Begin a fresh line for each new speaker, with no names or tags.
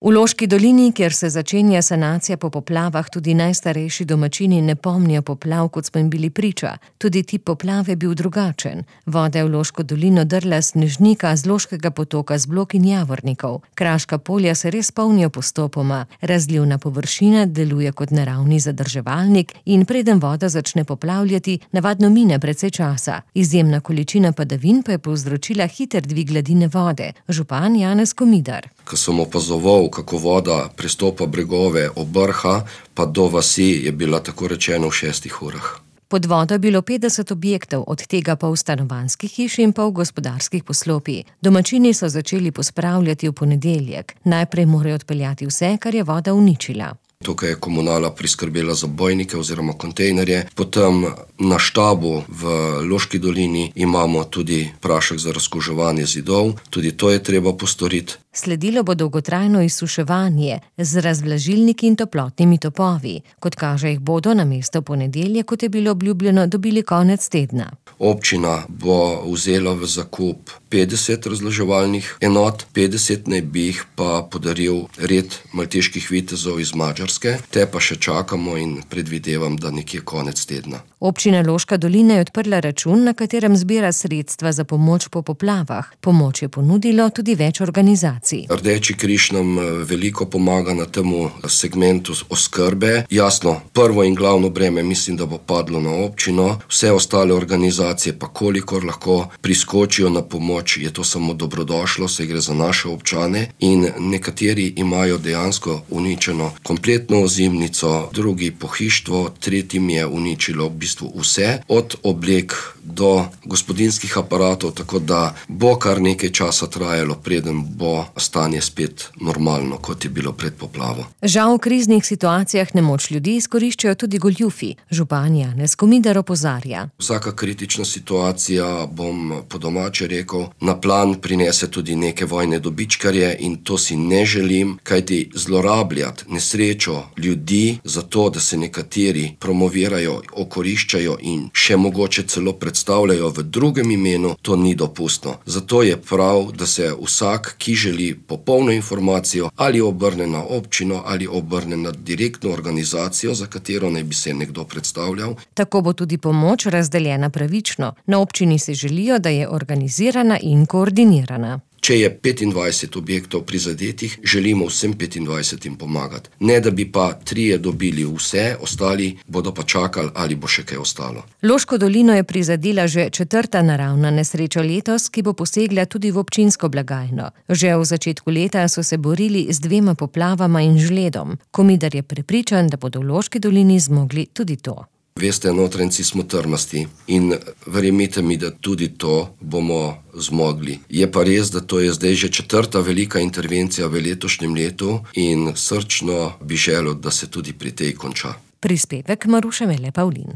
V Loški dolini, kjer se začenja sanacija po poplavah, tudi najstarejši domačini ne pomnijo poplav, kot smo jim bili priča. Tudi tip poplave je bil drugačen. Voda je v Loško dolino drla snežnika z Loškega potoka z blok in javornikov. Kraška polja se res polnijo postopoma. Razlivna površina deluje kot naravni zadrževalnik in preden voda začne poplavljati, navadno mine precej časa. Izjemna količina padavin pa je povzročila hiter dvig gladine vode. Župan Janez Komidar.
Ko sem opazoval, kako voda prestopa bregove od Brha pa do vasi, je bila tako rečeno v 6 urah.
Pod vodo je bilo 50 objektov, od tega pol stanovanjskih hiš in pol gospodarskih poslopij. Domačini so začeli pospravljati v ponedeljek. Najprej morajo odpeljati vse, kar je voda uničila.
Tukaj je komunala priskrbela zabojnike oziroma kontejnerje. Potem na štabu v Loški dolini imamo tudi prašek za razkuževanje zidov. Tudi to je treba postoriti.
Sledilo bo dolgotrajno izsuševanje z razvlažilniki in toplotnimi topovi. Kot kaže, jih bodo namesto ponedeljka, kot je bilo obljubljeno, dobili konec tedna.
Občina bo vzela v zakup 50 razvlaževalnih enot, 50 naj bi jih pa podaril red malteških vitezov iz Madžarske. Te pa še čakamo in predvidevam, da nekje konec tedna.
Občina Loška dolina je odprla račun, na katerem zbira sredstva za pomoč po poplavah. Pomoč je ponudilo tudi več organizacij.
Rdeči križ nam veliko pomaga na temu segmentu oskrbe. Jasno, prvo in glavno breme mislim, da bo padlo na občino. Vse ostale organizacije pa kolikor lahko priskočijo na pomoč, je to samo dobrodošlo, saj gre za naše občane in nekateri imajo dejansko uničeno kompletno ozimnico, drugi pohištvo, tretjim je uničilo v bistvu vse, od oblek do gospodinjskih aparatov, tako da bo kar nekaj časa trajalo, preden bo stanje spet normalno, kot je bilo pred poplavo.
Žal v kriznih situacijah nemoč ljudi izkoriščajo tudi goljufi. Župan Janez Komidar opozarja.
Vsaka kritična situacija, bom po domače rekel, na plan prinese tudi neke vojne dobičkarje in to si ne želim, kajti zlorabljati nesrečo ljudi za to, da se nekateri promovirajo, okoriščajo in še mogoče celo predstavljajo v drugem imenu, to ni dopustno. Zato je prav, da se vsak, ki želi popolno informacijo, ali obrne na občino ali obrne na direktno organizacijo, za katero naj bi se nekdo predstavljal.
Tako bo tudi pomoč razdeljena pravično. Na občini si želijo, da je organizirana in koordinirana.
Če je 25 objektov prizadetih, želimo vsem 25 pomagati. Ne, da bi pa 3 dobili vse, ostali bodo pa čakali, ali bo še kaj ostalo.
Loško dolino je prizadela že 4. naravna nesreča letos, ki bo posegla tudi v občinsko blagajno. Že v začetku leta so se borili z 2 poplavama in žledom. Komidar je prepričan, da bodo v Loški dolini zmogli tudi to.
Veste, Notranjci smo trmasti in verjemite mi, da tudi to bomo zmogli. Je pa res, da to je zdaj že 4. velika intervencija v letošnjem letu in srčno bi želel, da se tudi pri tej konča.
Prispevek Maruše Mele Pavlin.